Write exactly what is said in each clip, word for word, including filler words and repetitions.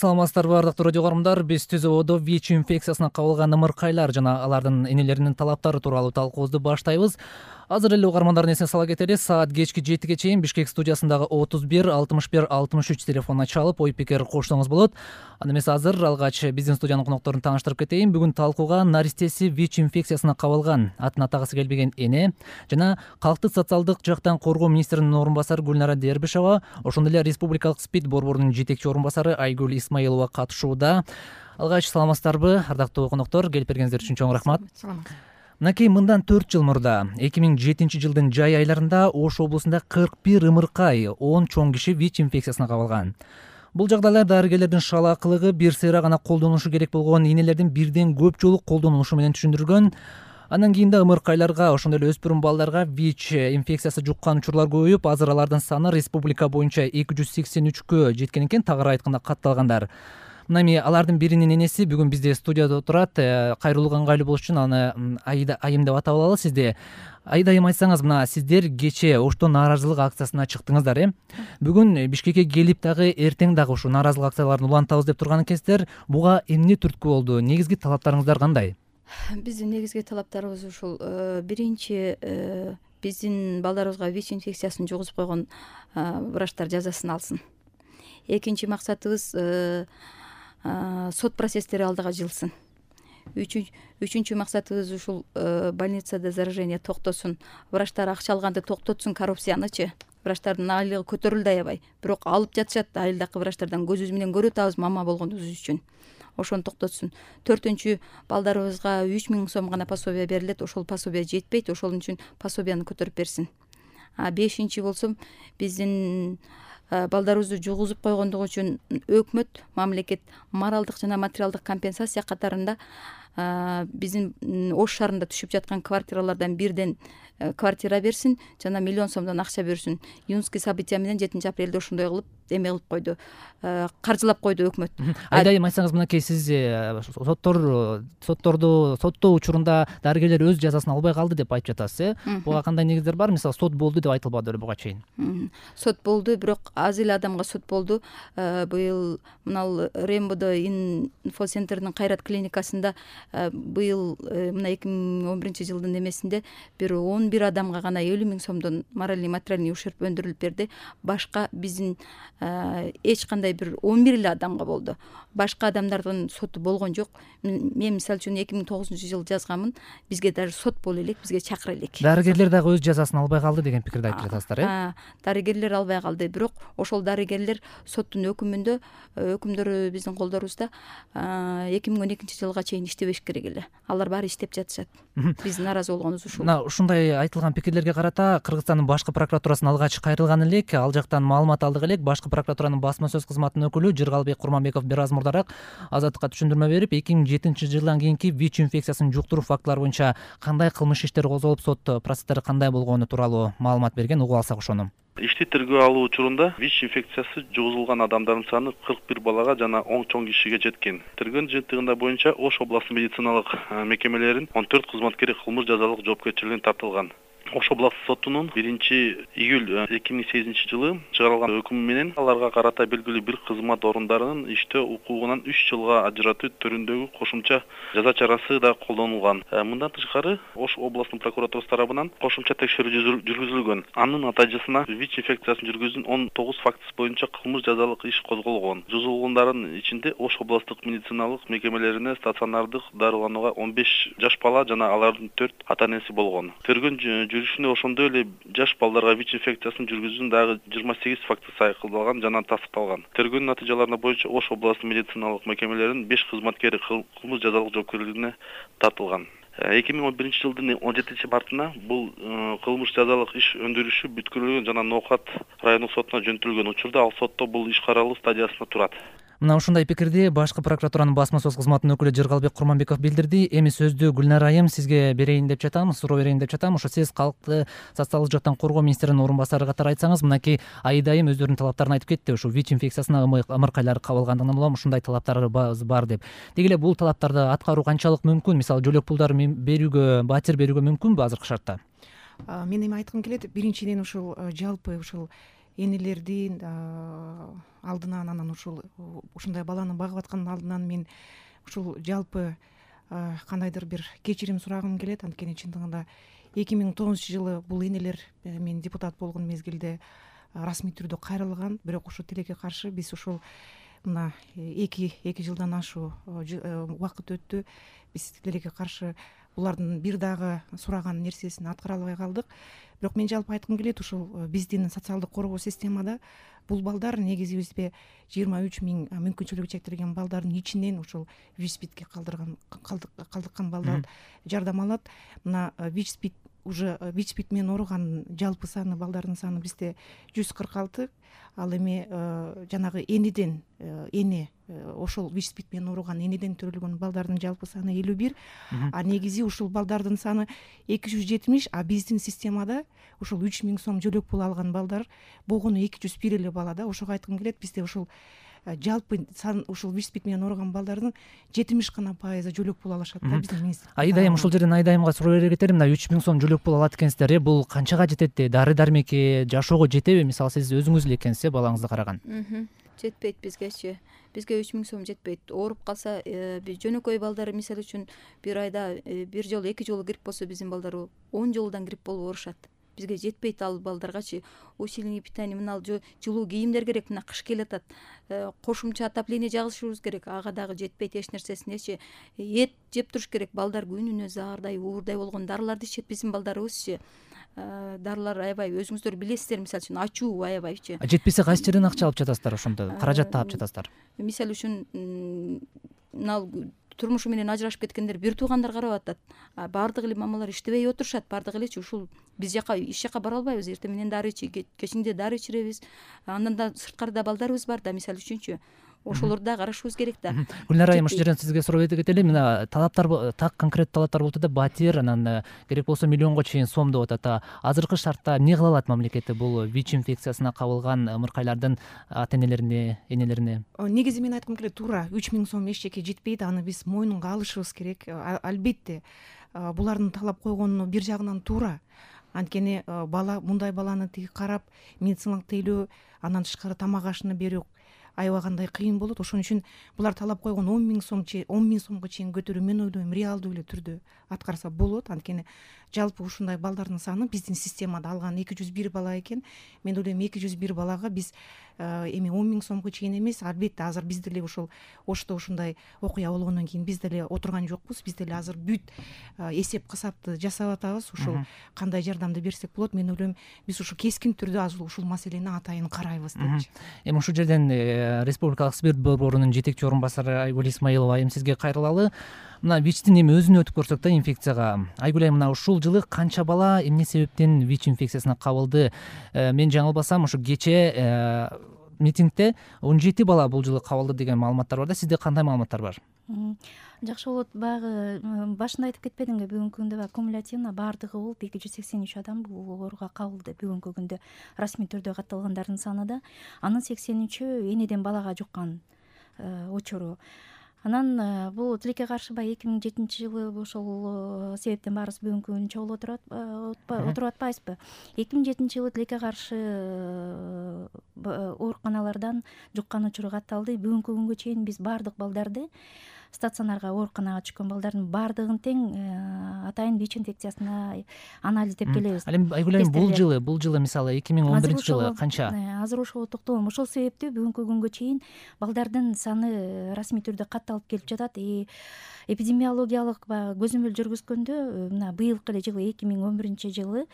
Саламатсыздарбы ардактуу радио көрөрмандар, биз түз абада ВИЧ инфекциясына кабылган ымыркайлар жана алардын энелеринин талаптары тууралуу талкуубузду баштайбыз. Азыр эле угармандардын эсине сала кетели, саат кечки жетиге чейин Бишкек студиясындагы отуз бир алтымыш бир алтымыш үч телефонуна чалып ой пикир коштуңуз болот. Анда эмесе азыр алгач биздин студиянын конокторун тааныштырып кетейин. Бүгүн талкууга наристеси ВИЧ инфекциясына кабылган, атын атагысы келбеген эне жана калктык социалдык жактан коргоо министринин орун басары Гүлнара Дербишева, ошондой эле республикалык СПИД борборунун жетекчи орун басары Айгүл Исмаилова катышууда. Алгач саламатсыздарбы ардактуу коноктор, келип бергениңиздер үчүн чоң рахмат. Мынакей мындан төрт жыл мурда эки миң жетинчи жылдын жай айларында Ош облусунда кырк бир ымыркай, он чоң киши ВИЧ инфекциясына кабылган. Бул жагдайлар дарыгерлердин шалаакылыгы бир сыйра гана колдонулушу керек болгон энелердин бирден көп жолу колдонулушу менен түшүндүргөн. Андан кийин да ымыркайларга, ошондой эле өспүрүм балдарга ВИЧ инфекциясы жуккан учурлар көбөйүп, азыр алардын саны республика боюнча эки жүз сексен үчкө жеткен экен, тагыраак айтканда катталгандар. Мына эми алардын биринин энеси бүгүн бизде студияда турат. Кайрылууга ыңгайлуу болуш үчүн аны Айда айым деп атап алалы сизди. Айда айым, айтсаңыз, мына сиздер кечээ Ошто нааразылык акциясына чыктыңыздар, э? Бүгүн Бишкекке келип дагы эртең дагы ушул нааразылык акцияларын улантабыз деп турган экенсиздер. Буга эмне түрткү болду? Негизги талаптарыңыздар кандай? Биздин негизги талаптарыбыз ушул биринчи биздин балдарыбызга ВИЧ инфекциясын жугузуп койгон врачтар жазасын алсын. Экинчи максатыбыз сот процесстери алдыга жылсын. Үчүнчү максатыбыз ушул больницада заражение токтосун, врачтар акча алганды токтотсун, коррупциянычы. Врачтардын айлыгы көтөрүлдү аябай, бирок алып жатышат, айылдагы врачтардан көзүбүз менен көрүп атабыз мама болгонубуз үчүн. Ошону токтотсун. Төртүнчү, балдарыбызга үч миң сом гана пособие берилет, ошол пособие жетпейт, ошол үчүн пособияны көтөрүп берсин. А бешинчи болсом, биздин балдарыбызды жугузуп койгондугу үчүн өкмөт, мамлекет моралдык жана материалдык компенсация катарында биздин Ош шаарында түшүп жаткан квартиралардан бирден квартира берсин жана миллион сомдон акча берсин. Июнский события менен жетинчи апрелде ошондой кылып эме кылып койду, каржылап койду өкмөт. Айда айым, айтсаңыз, мынакей сиз соттор сотторду соттоо учурунда дарыгерлер өз жазасын албай калды деп айтып жатасыз, э? Буга кандай негиздер бар? Мисалы, сот болду деп айтылбады беле буга чейин? Сот болду, бирок аз эле адамга сот болду. Быйыл мына Рембодо инфоцентринин Кайрат клиникасында быйыл мына эки миң он биринчи жылдын эмесинде бир он бир адамга гана элүү миң сомдон моральный материальный ущерб өндүрүлүп берди. Башка биздин эч кандай бир он бир эле адамга болду. Башка адамдардын соту болгон жок. Мен мисалы үчүн эки миң тогузунчу жылы жазганмын. Бизге даже сот боло элек, бизге чакыра элек. Дарыгерлер дагы өз жазасын албай калды деген пикирди айтып жатасыздар, э? Дарыгерлер албай калды, бирок ошол дарыгерлер соттун өкүмүндө, өкүмдөрү биздин колдорубузда эки миң он экинчи жылга чейин иштебеш керек эле. Алар баары иштеп жатышат. Биз нааразы болгонубуз ушул. Мына ушундай айтылган пикирлерге карата Кыргызстандын башкы прокуратурасына алгач кайрылган элек, ал жактан маалымат алдык элек. Башкы прокуратуранын басма сөз кызматынын өкүлү Жыргалбек Курманбеков бир аз мурдараак Азаттыкка түшүндүрмө берип, эки миң жетинчи жылдан кийинки ВИЧ инфекциясын жуктуруу фактылары боюнча кандай кылмыш иштери козголуп, сот процесстери кандай болгону тууралуу маалымат берген. Угуп алсак ошону. Ишти тергөө алуу учурунда ВИЧ инфекциясы жугузулган адамдардын саны кырк бир балага жана он чоң кишиге жеткен. Тергөөнүн жыйынтыгында боюнча Ош областынын медициналык мекемелеринин он төрт кызматкери кылмыш жазалык жоопкерчилигине тартылган. Ош областык сотунун биринчи июль эки миң сегизинчи жылы чыгарылган өкүмү менен аларга карата белгилүү бир кызмат орундарынын иштөө укугунан үч жылга ажыратуу түрүндөгү кошумча жаза чарасы да колдонулган. Мындан тышкары Ош областынын прокуратурасы тарабынан кошумча текшерүү жүргүзүлгөн. Анын натыйжасында ВИЧ инфекциясын жүргүзгөн он тогуз фактысы боюнча кылмыш жазалык иш козголгон. Жузулгундардын ичинде Ош областык медициналык мекемелерине стационардык дарыланууга он беш жаш бала жана алардын төрт ата-энеси болгон. Тергөө жүрүшүндө ошондой эле жаш балдарга ВИЧ инфекциясын жүргүзүүнүн дагы жыйырма сегиз фактысы айкылдалган жана тастыкталган. Тергөөнүн натыйжаларына боюнча Ош областынын медициналык мекемелеринин беш кызматкери кылмыш жазалык жоопкерчилигине тартылган. эки миң он биринчи жылдын он жетинчи мартына бул кылмыш жазалык иш өндүрүшү бүткүлгөн жана Ноокат райондук сотуна жөнөтүлгөн. Учурда ал сотто бул иш каралуу стадиясында турат. Мына ушундай пикирди башкы прокуратуранын басма сөз кызматынын өкүлү Жыргалбек Курманбеков билдирди. Эми сөздү Гүлнара айым сизге берейин деп жатам, суроо берейин деп жатам. Ошо сиз калкты социалдык жактан коргоо министринин орун басары катары айтсаңыз, мынакей Айда айым өздөрүнүн талаптарын айтып кетти. Ушу ВИЧ инфекциясына ымыркайлар кабылгандыгынан улам ушундай талаптарыбыз бар деп. Деги эле бул талаптарды аткаруу канчалык мүмкүн? Мисалы, жөлөк пулдар берүүгө, батир берүүгө мүмкүнбү азыркы шартта? Мен эми айткым келет, биринчиден ушул жалпы ушул энелердин алдынан, анан ушул ушундай баланы багып аткандын алдынан мен ушул жалпы кандайдыр бир кечирим сурагым келет. Анткени чындыгында эки миң тогузунчу жылы бул энелер мен депутат болгон мезгилде расмий түрдө кайрылган, бирок ушул тилекке каршы биз ушул мына эки эки жылдан ашуу убакыт өттү. Биз тилекке каршы булардын бир дагы сураган нерсесин аткара албай калдык. Бирок мен жалпы айткым келет, ушул биздин социалдык коргоо системада бул балдар негизи бизде жыйырма үч миң мүмкүнчүлүгү чектелген балдардын ичинен ушул ВИЧ-СПИДке калдырган калдыккан балдар жардам алат. Мына ВИЧ-СПИД уже ВИЧ-СПИД менен ооруган жалпы саны балдардын саны бизде жүз кырк алты. Ал эми жанагы энеден эне ошол ВИЧ-СПИД менен ооруган энеден төрөлгөн балдардын жалпы саны элүү бир. А негизи ушул балдардын саны эки жүз жетимиш, а биздин системада ушул үч миң сом жөлөк пул алган балдар болгону эки жүз бир эле бала да. Ошого айткым келет, бизде ушул жалпы сан ушул ВИЧ-СПИД менен ооруган балдардын жетимиш гана пайызы жөлөк пул алышат да биздин министрлик. Айдайым ушул жерден Айдайымга суроо бере кетелим. Мына үч миң сом жөлөк пул алат экенсиздер. Бул канчага жетет? Дары дармекке, жашоого жетеби? Мисалы сиз өзүңүз эле экенсиз, балаңызды караган. Жетпейт бизгечи. Бизге үч миң сом жетпейт. Ооруп калса, биз жөнөкөй балдар мисалы үчүн бир айда бир жолу, эки жолу грипп болсо биздин балдар он жолудан грипп болуп оорушат. Бизге жетпейт ал балдаргачы. Усилений питания мына жылуу кийимдер керек, мына кыш келатат. Кошумча отопление жагышыбыз керек. Ага дагы жетпейт эч нерсесинечи. Эт жеп туруш керек. Балдар күнүнө заардай, уурдай болгон дарыларды ичет биздин балдарыбызчы. Дарылар аябай өзүңүздөр билесиздер, мисалы үчүн ачуу аябайчы. Жетпесе кайсы жерден акча алып жатасыздар ошондо? Каражат таап жатасыздар? Мисалы үчүн мына турмушу менен ажырашып кеткендер бир туугандар карап атат. Баардык эле мамалар иштебей отурушат, баардык элечи ушул биз жака иш жака бара албайбыз. Эртең менен дары ичи, кечинде дары ичиребиз. Андан да сырткарда балдарыбыз бар да, мисалы үчүнчү. Ошолорду да карашыбыз керек да. Гүлнара айым, ушул жерден сизге суроо бере кетели. Мына талаптар, так конкреттүү талаптар болуп атат. Батир, анан керек болсо миллионго чейин сом деп атат. Азыркы шартта эмне кыла алат мамлекетте бул ВИЧ инфекциясына кабылган ымыркайлардын ата энелерине, энелерине? Негизи мен айткым келет, туура үч миң сом эч жеке жетпейт. Аны биз мойнунга алышыбыз керек. Албетте булардын талап койгону бир жагынан туура. Анткени бала, мындай баланы тиги карап, медициналык тейлөө, андан тышкары тамак ашыны берүү аябагандай кыйын болот. Ошон үчүн булар талап койгон он миң сом он миң сомго чейин көтөрүү мен ойлойм реалдуу эле түрдө аткарса болот. Анткени жалпы ушундай балдардын саны биздин системада алган эки жүз бир бала экен. Мен ойлойм эки жүз бир балага биз эми он миң сомго чейин эмес, албетте азыр биз деле ушул Ошто ушундай окуя болгондон кийин биз деле отурган жокпуз. Биз деле азыр бүт эсеп кысапты жасап атабыз. Ушул кандай жардамды берсек болот. Мен ойлойм биз ушу кескин түрдө азыр ушул маселени атайын карайбыз депчи. Эми ушул жерден Республикалык СПИРТ борборунун жетекчи орун басары Айгүл Исмаилова айым сизге кайрылалы. Мына ВИЧтин эми өзүн өтүп көрсөк да инфекцияга. Айгүл айым, мына ушул жылы канча бала эмне себептен ВИЧ инфекциясына кабылды? Мен жаңылбасам, ушу кече митингде он жети бала бул жылы кабылды деген маалыматтар бар да. Сизде кандай маалыматтар бар? Жакшы болот. Баягы башында айтып кетпедимби, бүгүнкү күндө кумулятивно баардыгы болуп эки жүз сексен үч адам бул ооруга кабылды. Бүгүнкү күндө расмий түрдө катталгандардын саны да, анын сексен үчү энеден балага жуккан учуру. Анан бул тилекке каршы баягы эки миң жетинчи жылы ошол себептен баарыбыз бүгүнкү күнү чогулуп отурат отуруп атпайбызбы? эки миң жетинчи жылы тилекке каршы ооруканалардан жуккан учуру катталды. Бүгүнкү күнгө чейин биз баардык балдарды, стационарга, ооруканага түшкөн балдардын баардыгын тең атайын ВИЧ инфекциясына анализдеп келебиз. Ал эми Айгүл айым, бул жылы, бул жылы мисалы эки миң он биринчи жылы канча? Азыр ошого токтолом. Ошол себептүү бүгүнкү күнгө чейин балдардын саны расмий түрдө катталып келип жатат. Эпидемиологиялык көзөмөл жүргүзгөндө мына быйылкы эле жылы эки миң он биринчи жылы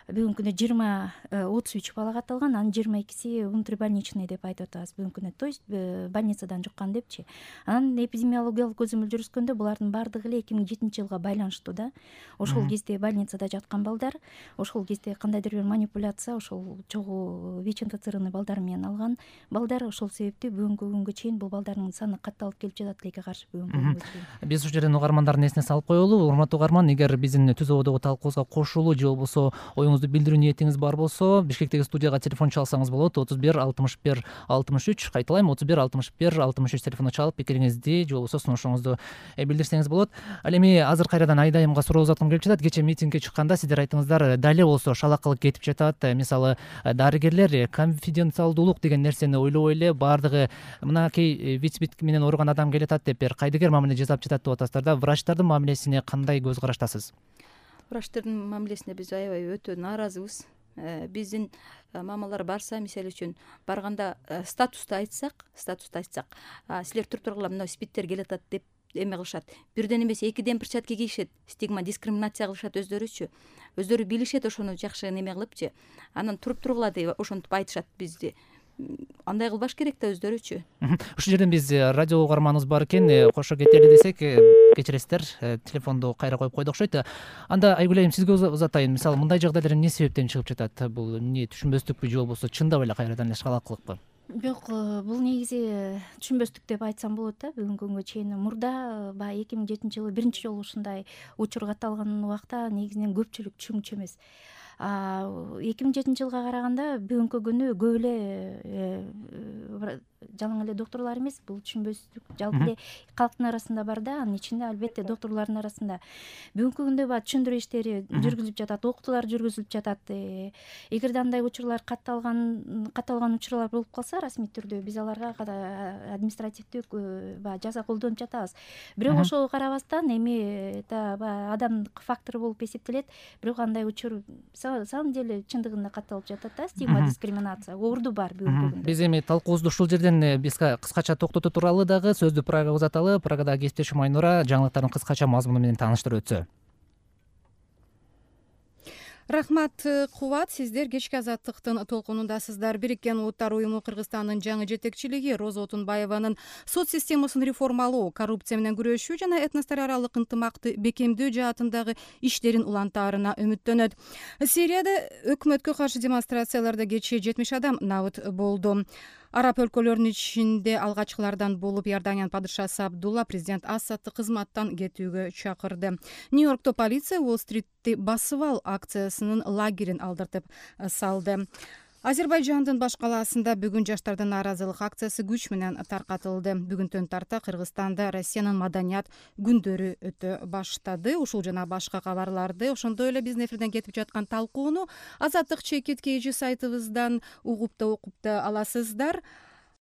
бүгүнкү күндө жыйырма отуз үч бала катталган, анын жыйырма экиси внутрибольничный деп айтып атабыз бүгүнкү күндө, то есть больницадан жуккан депчи. Анан эпидемиологиялык көзөмөл жүргүзгөндө булардын баардыгы эле эки миң жетинчи жылга байланыштуу да. Ошол кезде больницада жаткан балдар, ошол кезде кандайдыр бир манипуляция ошол чогуу ВИЧ инфицированный балдар менен алган балдар. Ошол себептүү бүгүнкү күнгө чейин бул балдардын саны катталып келип жатат тилекке каршы бүгүнкү күнгө чейин. Биз ушул жерден угармандардын эсине салып коелу. Урматтуу угарман, эгер биздин түз ободогу талкуубузга кошулуу же болбосо оюңуз коомуңузду билдирүү ниетиңиз бар болсо Бишкектеги студияга телефон чалсаңыз болот. отуз бир алтымыш бир алтымыш үч, кайталайм, отуз бир алтымыш бир алтымыш үч телефону чалып пикириңизди же болбосо сунушуңузду билдирсеңиз болот. Ал эми азыр кайрадан Айдайымга суроо узаткым келип жатат. Кечээ митингге чыкканда сиздер айттыңыздар, дали болсо шалакылык кетип жатат. Мисалы, дарыгерлер конфиденциалдуулук деген нерсени ойлобой эле баардыгы мынакей виц-вит менен ооруган адам келатат деп бир кайдыгер мамиле жасап жатат деп атасыздар да. Врачтардын мамилесине кандай көз караштасыз? Врачтардын мамилесине биз аябай өтө нааразыбыз. Биздин мамалар барса, мисалы үчүн барганда статусту айтсак, статусту айтсак, силер туруп тургула, мына спидтер келатат деп эме кылышат. Бирден эмес экиден перчатка кийишет, стигма, дискриминация кылышат өздөрүчү. Өздөрү билишет ошону жакшы неме кылыпчы. Анан туруп тургула деп ошентип айтышат бизди. Андай кылбаш керек да өздөрүчү. Ушул жерден биз радио угарманыбыз бар экен, кошо кетели десек, кечиресиздер, телефонду кайра коюп койду окшойт. Анда Айгүл айым сизге узатайын. Мисалы, мындай жагдайлар эмне себептен чыгып жатат? Бул эмне, түшүнбөстүкпү же болбосо чындап эле кайрадан эле шкалакылыкпы? Жок, бул негизи түшүнбөстүк деп айтсам болот да. Бүгүнкү күнгө чейин мурда баягы эки миң жетинчи жылы биринчи жолу ушундай учур катталган убакта негизинен көпчүлүк түшүнүкчү эмес. эки миң жетинчи жылга караганда бүгүнкү күнү көп эле жалаң эле докторлор эмес, бул түшүнбөстүк жалпы эле калктын арасында бар да, анын ичинде албетте докторлордун арасында. Бүгүнкү күндө баягы түшүндүрүү иштери жүргүзүлүп жатат, окутуулар жүргүзүлүп жатат. Эгерде андай учурлар катталган катталган учурлар болуп калса, расмий түрдө биз аларга административдик баягы жаза колдонуп жатабыз. Бирок ошого карабастан эми баягы адамдык фактор болуп эсептелет. Бирок андай учур самом деле чындыгында катталып жатат да, стигма, дискриминация орду бар бүгүнкү күндө. Биз эми талкуубузду ушул жерден биз кыскача токтотуу тууралуу дагы сөздү Прагага узаталы. Прагадагы кесиптешим Айнура жаңылыктардын кыскача мазмуну менен тааныштырып өтсө. Рахмат, Кубат. Сиздер кечки азаттыктын толкунундасыздар. Бириккен Улуттар уюму Кыргызстандын жаңы жетекчилиги Роза Отунбаеванын соц системасын реформалоо, коррупция менен күрөшүү жана этностор аралык ынтымакты бекемдөө жаатындагы иштерин улантаарына үмүттөнөт. Сирияда өкмөткө каршы демонстрацияларда кечээ жетимиш адам набыт болду. Араб өлкөлөрүнүн ичинде алгачкылардан болуп Иорданиянын падышасы Абдулла президент Асадты кызматтан кетүүгө чакырды. Нью-Йоркто полиция Уолл-стритти басып ал акциясынын лагерин алдыртып салды. Азербайжандын баш калаасында бүгүн жаштардын нааразылык акциясы күч менен таркатылды. Бүгүнтөн тарта Кыргызстанда Россиянын маданият күндөрү өтө баштады. Ушул жана башка кабарларды, ошондой эле биздин эфирден кетип жаткан талкууну Азаттык чекит кей жи сайтыбыздан угуп да окуп да аласыздар.